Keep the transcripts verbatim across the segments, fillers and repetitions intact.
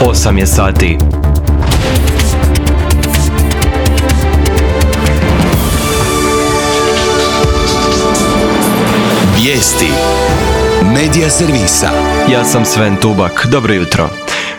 osam je sati. Vijesti Medija servisa. Ja sam Sven Tubak. Dobro jutro.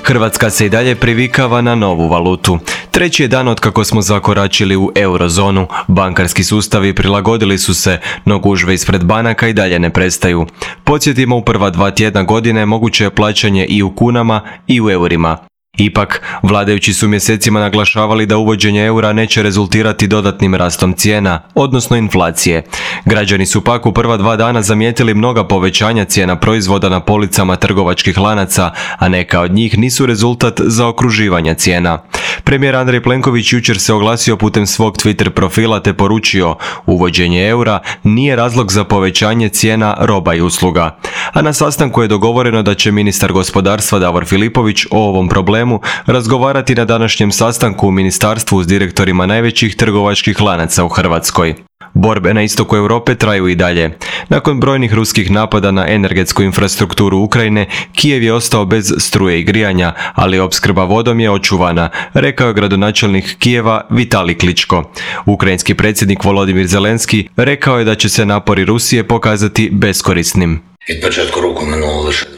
Hrvatska se i dalje privikava na novu valutu. Treći je dan od kako smo zakoračili u eurozonu. Bankarski sustavi prilagodili su se, no gužve ispred banaka i dalje ne prestaju. Podsjetimo, u prva dva tjedna godine moguće je plaćanje i u kunama i u eurima. Ipak, vladajući su mjesecima naglašavali da uvođenje eura neće rezultirati dodatnim rastom cijena, odnosno inflacije. Građani su pak u prva dva dana zamijetili mnoga povećanja cijena proizvoda na policama trgovačkih lanaca, a neka od njih nisu rezultat zaokruživanja cijena. Premijer Andrej Plenković jučer se oglasio putem svog Twitter profila te poručio: uvođenje eura nije razlog za povećanje cijena roba i usluga. A na sastanku je dogovoreno da će ministar gospodarstva Davor Filipović o ovom problemu razgovarati na današnjem sastanku u ministarstvu s direktorima najvećih trgovačkih lanaca u Hrvatskoj. Borbe na istoku Europe traju i dalje. Nakon brojnih ruskih napada na energetsku infrastrukturu Ukrajine, Kijev je ostao bez struje i grijanja, ali opskrba vodom je očuvana, rekao je gradonačelnik Kijeva Vitalij Kličko. Ukrajinski predsjednik Volodimir Zelenski rekao je da će se napori Rusije pokazati beskorisnim.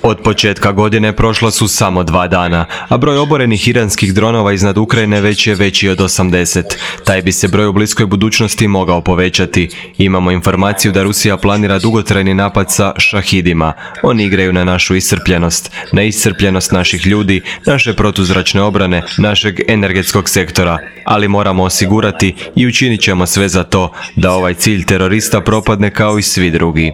Od početka godine prošla su samo dva dana, a broj oborenih iranskih dronova iznad Ukrajine već je veći od osamdeset. Taj bi se broj u bliskoj budućnosti mogao povećati. Imamo informaciju da Rusija planira dugotrajni napad sa šahidima. Oni igraju na našu iscrpljenost, na iscrpljenost naših ljudi, naše protuzračne obrane, našeg energetskog sektora. Ali moramo osigurati i učinit ćemo sve za to da ovaj cilj terorista propadne kao i svi drugi.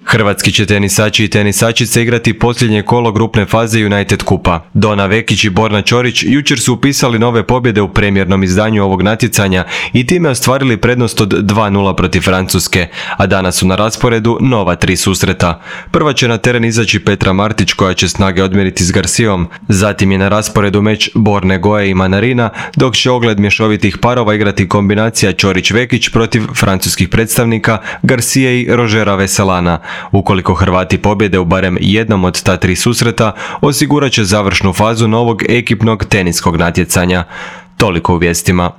Hrvatski će tenisači i tenisačice igrati posljednje kolo grupne faze United Kupa. Dona Vekić i Borna Ćorić jučer su upisali nove pobjede u premijernom izdanju ovog natjecanja i time ostvarili prednost od dva nula protiv Francuske, a danas su na rasporedu nova tri susreta. Prva će na teren izaći Petra Martić koja će snage odmjeriti s Garcijom, zatim je na rasporedu meč Borne Goje i Manarina, dok će ogled mješovitih parova igrati kombinacija Ćorić-Vekić protiv francuskih predstavnika Garcije i Rožera Veselana. Ukoliko Hrvati pobjede u barem jednom od ta tri susreta, osigurat će završnu fazu novog ekipnog teniskog natjecanja. Toliko u vijestima.